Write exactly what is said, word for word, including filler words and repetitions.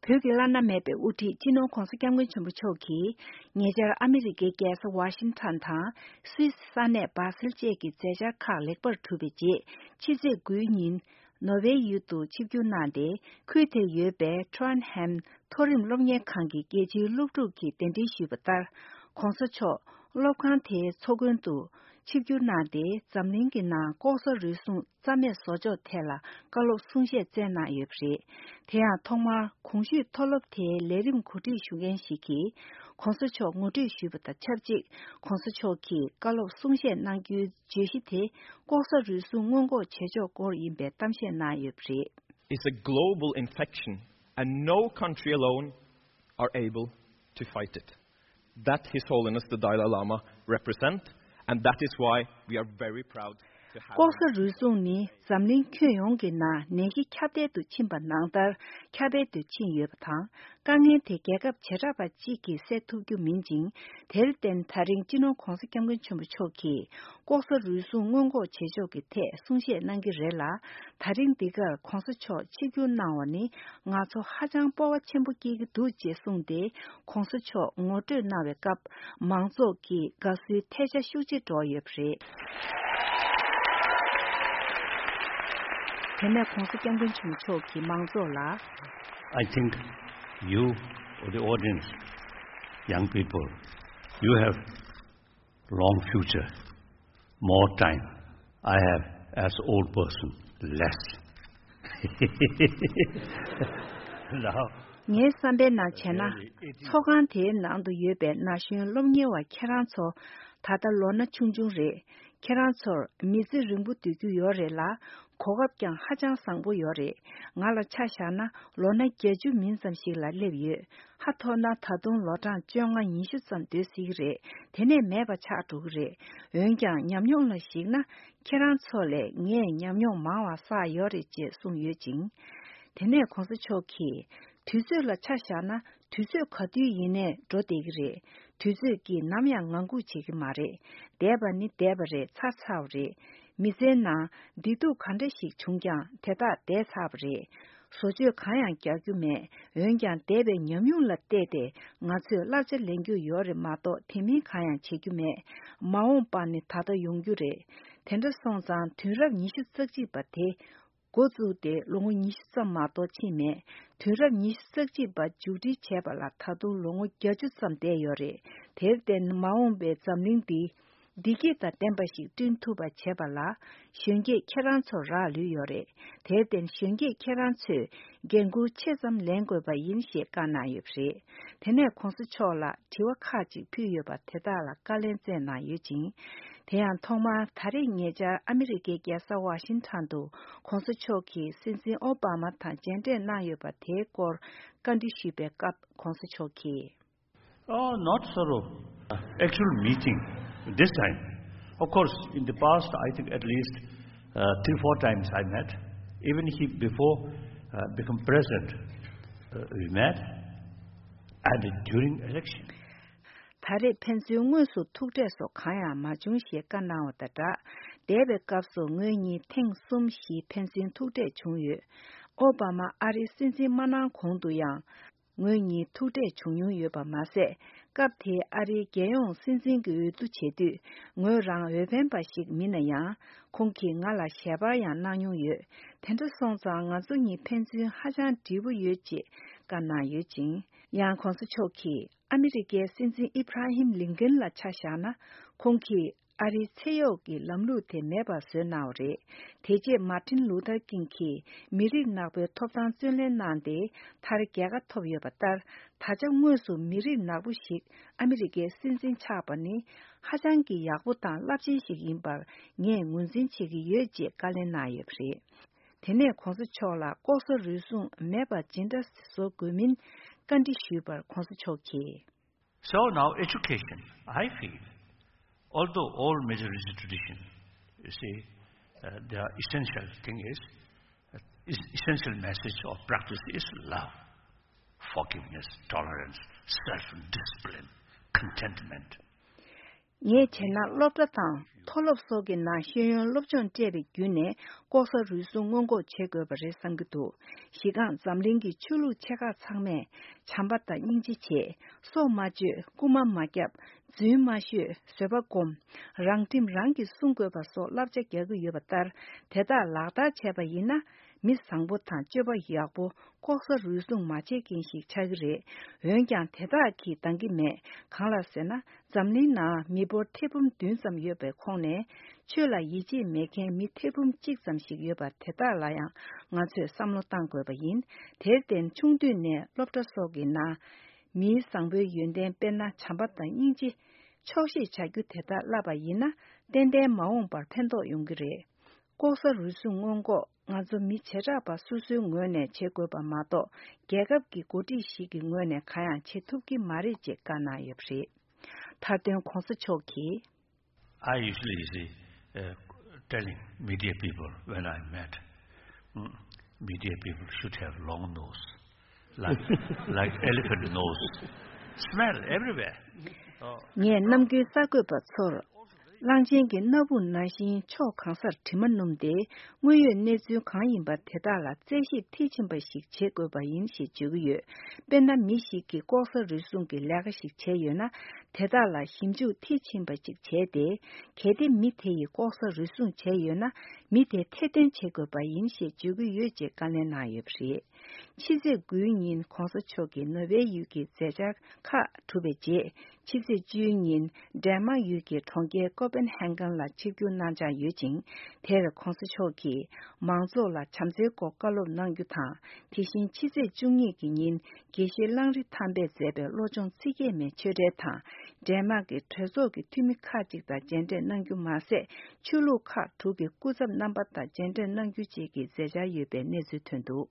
བོད་ཀྱི་བླ་ན་མེད་པའི་དབུ་ཁྲིད་སྤྱི་ནོར་༧གོང་ས་༧སྐྱབས་མགོན་ཆེན་པོ་མཆོག་གིས་ཉེ་ཆར་ཨ་མི་རི་ཀའི་རྒྱལ་ས་ཝ་ཤིང་ཊོན་དང་སུད་སི་ས་གནས་སྦ་སེལ་བཅས་ཀྱི་མཛད་འཆར་ཁག་ལེགས་པར་གྲུབ་པའི་རྗེས་ཕྱི་ཚེས་དགུའི་ཉིན་ནོར་ཝེ་ཡུལ་དུ་ཆིབས་བསྒྱུར་གནང་སྟེ། ཁུལ་དེར་ཡོད་པའི་ཊོན་ཧེམ་མཐོ་རིམ་སློབ་གཉེར་ཁང་གི་རྒྱལ་སྤྱིའི་སློབ་ཕྲུག་གིས་གདན་འདྲེན་ཞུས་པ་ལྟར། ྋགོང་ས་མཆོག་སློབ་ཁང་དེའི་ཚོགས་མགོན་དུ་ཆིབས་བསྒྱུར་གནང་སྟེ། འཛམ་གླིང་གི་ནང་ལྐོག་ཟ་རུལ་སུངས་རྩ་མེད་བཟོ་ཕྱོགས་ཐད་ལ་བཀའ་སློབ་གསུང་བཤད་སྩལ་གནང་ཡོད་པ་རེད། དེ་ཡང་ཐོག་མར་གོང་ཞུས་མཐོ་སློབ་དེའི་ལས་རིམ་གོ་སྒྲིག་ཞུ་མཁན་ཞིག་གིས་༧གོང་ས་མཆོག་ངོ་སྤྲོད་ཞུས་པ་དང་ཆབས་ཅིག ྋགོང་ས་མཆོག་གིས་བཀའ་སློབ་གསུང་བཤད་གནང་རྒྱུའི་བརྗོད་གཞི་དེ་ལྐོག་ཟ་རུལ་སུངས་སྔོན་འགོག་བྱེད་ཕྱོགས་སྐོར་ཡིན་པའི་གཏམ་བཤད་གནང་ཡོད་པ་རེད། It's a global infection and no country alone are able to fight it. That His Holiness the Dalai Lama represent, and that is why we are very proud to have him. ལྐོག་ཟ་རུལ་སུངས་ནི་འཛམ་གླིང་ཁྱོན་ཡོངས་ཀྱི་ནང་ནད་གཞི་ཁྱབ་གདལ་དུ་ཕྱིན་པ་ནང་ལྟར་ཁྱབ་གདལ་དུ་ཕྱིན་ཡོད་པ་དང་། དཀའ་ངལ་དེ་རྒྱལ་ཁབ་བྱེ་བྲག་པ་གཅིག་གིས་སེལ་ཐུབ་རྒྱུ་མིན་ཅིང་། དེར་བརྟེན་ད་རིང་སྤྱི་ནོར་༧གོང་ས་༧སྐྱབས་མགོན་ཆེན་པོ་མཆོག་གིས་ལྐོག་ཟ་རུལ་སུངས་སྔོན་འགོག་བྱེད་ཕྱོགས་ཀྱི་ཐད་གསུང་བཤད་གནང་གི་རེད་ལ། ད་རིང་འདི་གར་༧གོང་ས་མཆོག་ཆིབས་བསྒྱུར་གནང་བ་ནི་ང་ཚོ་ཧ་ཅང་སྤོབས་པ་ཆེན་པོ་སྐྱེ་གི་འདུག་ཅེས་གསུངས་ཏེ། ྋགོང་ས་མཆོག་ངོ་སྤྲོད་གནང་བའི་སྐབས་མང་ཚོགས་ཀྱིས་དགའ་བསུའི་ཐལ་ཆ་ཤུགས་ཆེ་སྒྲོག་ཡོད་པ་རེད། དེ་ནས་༧གོང་ས་༧སྐྱབས་མགོན་ཆེན་པོ་མཆོག་གིས་མང་ཚོགས་ལ། I think you, the audience, young people, you have long future, more time. I have, as old person, less. Now, ངའི་བསམ་པའི་ནང་བྱས་ན། ཚོགས་ཁང་དེའི་ནང་དུ་ཡོད་པའི་ན་གཞོན་སློབ་གཉེར་བ་ཁྱེད་རང་ཚོ་ད་ལྟ་ལོ་ན་ཆུང་ཆུང་རེད། ཁྱེད་རང་ཚོར་མི་ཚེ་རིང་པོ་སྡོད་རྒྱུ་ཡོད་རེད་ལ། གོ་སྐབས་ཀྱང་ཧ་ཅང་བཟང་པོ་ཡོད་རེད། ང་ལ་ཆ་བཞག་ན་ལོ་ན་བརྒྱད་ཅུ་མིན་ཙམ་ཞིག་ལ་སླེབས་ཡོད། ཧ་ཐོ་ན་ད་དུང་ལོ་གྲངས་བཅོ་ལྔ་ཉི་ཤུ་ཙམ་སྡོད་སྲིད་ཀྱི་རེད། དེ་ནས་མེད་པ་ཆགས་འགྲོ་གི་རེད། འོན་ཀྱང་ཉམས་མྱོང་ལ་གཞིགས་ན། ཁྱེད་རང་ཚོ་ལས་ངས་ཉམས་མྱོང་མང་བ་བསགས་ཡོད་རེད་ཅེས་གསུངས་ཡོད་ཅིང་། དེ་ནས་གོང་ས་མཆོག་གིས། དུས་ཚོད་ལ་ཆ་བཞག་ན་དུས་ཚོད་ག་དུས་ཡིན་ནའི་འགྲོ་བསྡད་ཀྱི་རེད། དུས་ཚོད་ཀྱིས་ནམ་ཡང་ངང་སྒུག་བྱེད་ཀྱི་མ་རེད། འདས་པ་ནི་འདས་པ་རེད། ཚར་ཚར་བ་རེད། མི་ཚེའི་ནང་བདེ་སྡུག་ག་འདྲ་ཞིག་བྱུང་ཀྱང་དེ་དག་འདས་ཚར་བ་རེད། བཟོ་བཅོས་གང་ཡང་རྒྱག་རྒྱུ་མེད། འོན་ཀྱང་འདས་པའི་ཉམས་མྱོང་ལ་བལྟས་ཏེ་ང་ཚོས་བསླབ་བྱ་ལེན་རྒྱུ་ཡོད་རེད་མ་གཏོགས་དེ་མིན་གང་ཡང་བྱེད་རྒྱུ་མེད། མ་འོངས་པ་ནི་ད་ལྟ་ཡོང་རྒྱུ་རེད། དེ་འདྲ་སོང་ཙང་དུས་རབས་ཉི་ཤུ་རྩ་གཅིག་པ་དེ། འགོ་བཙུགས་ཏེ་ལོ་ངོ་ཉི་ཤུ་ཙམ་མ་གཏོགས་ཕྱིན་མེད། དུས་རབས་ཉི་ཤུ་རྩ་གཅིག་པ་མཇུག་སྒྲིལ་བྱས་པ་ལ་ད་དུང་ལོ་ངོ་བརྒྱད་ཅུ་ཙམ་འདས་ཡོད་རེད། དེར་བརྟེན་མ་འོངས་པའི་འཛམ་གླིང་འདི་བདེ་སྐྱིད་དང་ལྡན་པ་ཞིག་བསྐྲུན་ཐུབ་པ་བྱེད་པ་ལ་གཞོན་སྐྱེས་ཁྱེད་རང་ཚོར་རག་ལུས་ཡོད་རེད། དེར་བརྟེན་གཞོན་སྐྱེས་ཁྱེད་རང་ཚོས་འགན་འཁུར་ཆེ་ཙམ་ལེན་དགོས་པ་ཡིན་ཞེས་བཀའ་གནང་ཡོད་པ་རེད། དེ་ནས་གོང་ས་མཆོག་ལ་དྲི་བ་ཁག་ཅིག་ཕུལ་ཡོད་པ་དེ་དག་ལ་བཀའ་ལན་སྩལ་གནང་ཡོད་ཅིང་། དེ་ཡང་ཐོག་མར་ད་རེས་ཉེ་ཆར་ཨ་མི་རི་ཀའི་རྒྱལ་ས་ཝ་ཤིང་ཊོན་དུ་གོང་ས་མཆོག་གིས་སྲིད་འཛིན་ཨོ་བྷ་མ་དང་མཇལ་འཕྲད་གནང་ཡོད་པ་དེའི་སྐོར་བཀའ་འདྲི་ཞུས་པའི་སྐབས་གོང་ས་མཆོག་གིས། Oh, not sort of actual meeting this time. Of course, in the past, I think at least uh, three, four times I met. Even he, before uh, become president, uh, we met and during election. ད་རེས་ཕན་ཚུན་དངོས་སུ་ཐུག་འཕྲད་སོགས་གང་ཡང་མ་བྱུང་ཞེས་བཀའ་གནང་བ་དང་སྦྲགས། འདས་པའི་སྐབས་སུ་ངོས་གཉིས་ཐེངས་གསུམ་བཞི་ཕན་ཚུན་ཐུག་འཕྲད་བྱུང་ཡོད། ཨོ་བྷ་མ་ཨ་རིའི་སྲིད་འཛིན་མ་གནང་གོང་དུ་ཡང་ངོས་གཉིས་ཐུག་འཕྲད་བྱུང་མྱོང་ཡོད་པ་མ་ཟད། སྐབས་དེའི་ཨ་རིའི་རྒྱལ་ཡོངས་སྲིད་འཛིན་གྱི་འོས་བསྡུ་བྱེད་དུས་ངོས་རང་འོས་འཕེན་པ་ཞིག་མིན་ན་ཡང་། ཁོང་གིས་ང་ལ་ཞལ་པར་ཡང་གནང་མྱོང་ཡོད། དེ་འདྲ་སོང་ཙང་ང་ཚོ་གཉིས་ཕན་ཚུན་ཧ་ཅང་འདྲིས་པོ་ཡོད་ཅེས་བཀའ་གནང་ཡོད་ཅིང་། ཡང་གོང་ས་མཆོག་གིས། ཨ་མི་རི་ཀའི་སྲིད་འཛིན་ཨི་བྷ་ར་ཧིམ་ལིན་ཀན་ལ་ཆ་བཞག་ན། ཁོང་གིས་ཨ་རིའི་ཚེ་གཡོག་གི་ལམ་ལུགས་དེ་མེད་པར་བཟོས་གནང་བ་རེད། དེ་རྗེས་མར་ཊིན་ལུ་ཐར་ཀིང་གིས་མི་རིགས་ནག་པོའི་ཐོབ་ཐང་རྩོད་ལེན་གནང་སྟེ། མཐར་རྒྱལ་ཁ་ཐོབ་ཡོད་པ་ལྟར། ད་ཆ་དངོས་སུ་མི་རིགས་ནག་པོ་ཞིག་ཨ་མི་རི་ཀའི་སྲིད་འཛིན་ཆགས་པ་ནི། ཧ་ཅང་གི་ཡག་པོ་དང་རླབས་ཆེན་ཞིག་ཡིན་པར་ངས་ངོས་འཛིན་བྱེད་ཀྱི་ཡོད་ཅེས་བཀའ་ལན་གནང་ཡོད་པ་རེད། དེ་ནས་གོང་ས་མཆོག་ལ་ལྐོག་ཟ་རུལ་སུངས་མེད་པ་ཇི་འདྲ་བཟོ་དགོས་མིན་བཀའ་འདྲི་ཞུས་པར་གོང་ས་མཆོག་གིས། So now education, I feel, although all major religious tradition, you see, uh, the essential thing is, uh, is essential message or practice is love, forgiveness, tolerance, self-discipline, contentment. ངས་བྱས་ན་སློབ་གྲྭ་དང་མཐོ་སློབ་སོགས་ཀྱི་ནང་ཤེས་ཡོན་སློབ་སྦྱོང་སྤྲད་པའི་བརྒྱུད་ནས་ལྐོག་ཟ་རུལ་སུངས་སྔོན་འགོག་བྱེད་དགོས་པ་རེད་བསམ་གྱི་འདུག་གཞི་རྐང་འཛམ་གླིང་གི་ཆོས་ལུགས་ཆེ་ཁག་ཚང་མས་བྱམས་པ་དང་སྙིང་རྗེ་བྱེད། སྲོག་མ་གཅོད། རྐུ་མ་མ་བརྒྱབ། རྫུན་མ་ཤོད། བཟོད་པ་སྒོམ། རང་ཁྲིམས་རང་གིས་སྲུང་དགོས་པ་སོགས་བསླབ་བྱ་རྒྱག་གི་ཡོད་པ་ལྟར། དེ་དག་ལག་བསྟར་བྱས་པ་ཡིན་ན། མི་བཟང་པོ་དང་སྤྱོད་པ་ཡག་པོ། ལྐོག་ཟ་རུལ་སུངས་མ་བྱེད་མཁན་ཞིག་ཆགས་ཀྱི་རེད། འོན་ཀྱང་དེ་དག་གིས་འདང་གི་མེད། གང་ལགས་ཟེར་ན། འཛམ་གླིང་ནང་མི་འབོར་ཐེར་འབུམ་བདུན་ཙམ་ཡོད་པའི་ཁོངས་ནས། ཆོས་ལ་ཡིད་ཆེས་མེད་མཁན་མི་ཐེར་འབུམ་གཅིག་ཙམ་ཞིག་ཡོད་པ་དེ་དག་ལ་ཡང་ང་ཚོས་བསམ་བློ་གཏང་དགོས་པ་ཡིན། དེར་བརྟེན་ཆུང་དུས་ནས་སློབ་གྲྭ་སོགས་ཀྱི་ནང་། མིའི་བཟང་པོའི་ཡོན་ཏན་དཔེར་ན་བྱམས་པ་དང་སྙིང་རྗེ། ཆོག་ཤེས་བྱ་རྒྱུ་དེ་དག་བསླབ་པ་ཡིན་ན། ཏན་ཏན་མ་འོངས་པར་ཕན་ཐོགས་ཡོང་གི་རེད། ལྐོག་ཟ་རུལ་སུངས་སྔོན་འགོག་ང་ཚོ་མི་བྱེ་བྲག་པ་སོ་སོའི་ངོས་ནས་བྱེད་དགོས་པ་མ་གཏོགས། རྒྱལ་ཁབ་ཀྱི་འགོ་ཁྲིད་ཞིག་གི་ངོས་ནས་གང་ཡང་བྱེད་ཐུབ་ཀྱི་མ་རེད་ཅེས་བཀའ་གནང་ཡོད་པ་རེད། མཐའ་དོན་གོང་ས་མཆོག་གིས། I usually, you see, uh, telling media people when I met, mm, media people should have long nose, like, like elephant nose, smell everywhere. Oh. ངས་ནམ་རྒྱུན་གསར་འགོད་པ་ཚོར། གླང་ཆེན་གྱི་སྣ་བུག་ནང་བཞིན་ཕྱོགས་གང་སར་དྲི་མ་སྣོམ་སྟེ། དངོས་ཡོད་གནས་ཚུལ་གང་ཡིན་པ་དེ་དག་ལ་རྩད་ཞིབ་མཐིལ་ཕྱིན་པ་ཞིག་བྱེད་དགོས་པ་ཡིན་ཞེས་བརྗོད་ཀྱི་ཡོད། དཔེར་ན། མི་ཞིག་གིས་ལྐོག་ཟ་རུལ་སུངས་ཀྱི་ལས་ཀ་ཞིག་བྱས་ཡོད་ན། དེ་དག་ལ་ཞིབ་འཇུག་མཐིལ་ཕྱིན་པ་ཅིག་བྱས་ཏེ། གལ་ཏེ་མི་དེ་ཡིས་ལྐོག་ཟ་རུལ་སུངས་བྱས་ཡོད་ན། མི་དེ་ཐེར་འདོན་བྱེད་དགོས་པ་ཡིན་ཞེས་བརྗོད་ཀྱི་ཡོད་ཅེས་བཀའ་ལན་གནང་ཡོད་པ་རེད། ཕྱི་ཚེས་དགུའི་ཉིན་གོང་ས་མཆོག་གིས་ནོར་ཝེ་ཡུལ་གྱི་མཛད་འཆར་ཁག་གྲུབ་པའི་རྗེས། ཕྱི་ཚེས་བཅུའི་ཉིན་ཌེན་མཱག་ཡུལ་གྱི་གྲོང་ཁྱེར་ཀོ་པན་ཧན་གྷན་ལ་ཆིབས་བསྒྱུར་གནང་འཆར་ཡོད་ཅིང་། དེར་གོང་ས་མཆོག་གིས་མང་ཚོགས་ལ་བྱམས་བརྩེའི་སྐོར་བཀའ་སློབ་གནང་རྒྱུ་དང་། དེ་བཞིན་ཕྱི་ཚེས་བཅུ་གཉིས་ཀྱི་ཉིན་དགེ་བཤེས་གླང་རི་ཐང་པས་མཛད་པའི་བློ་སྦྱོང་ཚིག་བརྒྱད་མའི་ཆོས་འབྲེལ་དང་། ཌེན་མཱག་གི་གྲོས་ཚོགས་ཀྱི་འཐུས་མི་ཁག་ཅིག་དང་མཇལ་འཕྲད་གནང་རྒྱུ་མ་ཟད། ཆོས་ལུགས་ཁག་དྲུག་གི་སྐུ་ཚབ་རྣམ་པ་དང་མཇལ་འཕྲད་གནང་རྒྱུ་བཅས་ཀྱི་མཛད་འཆར་ཡོད་པའི་གནས་ཚུལ་ཐོན་འདུག།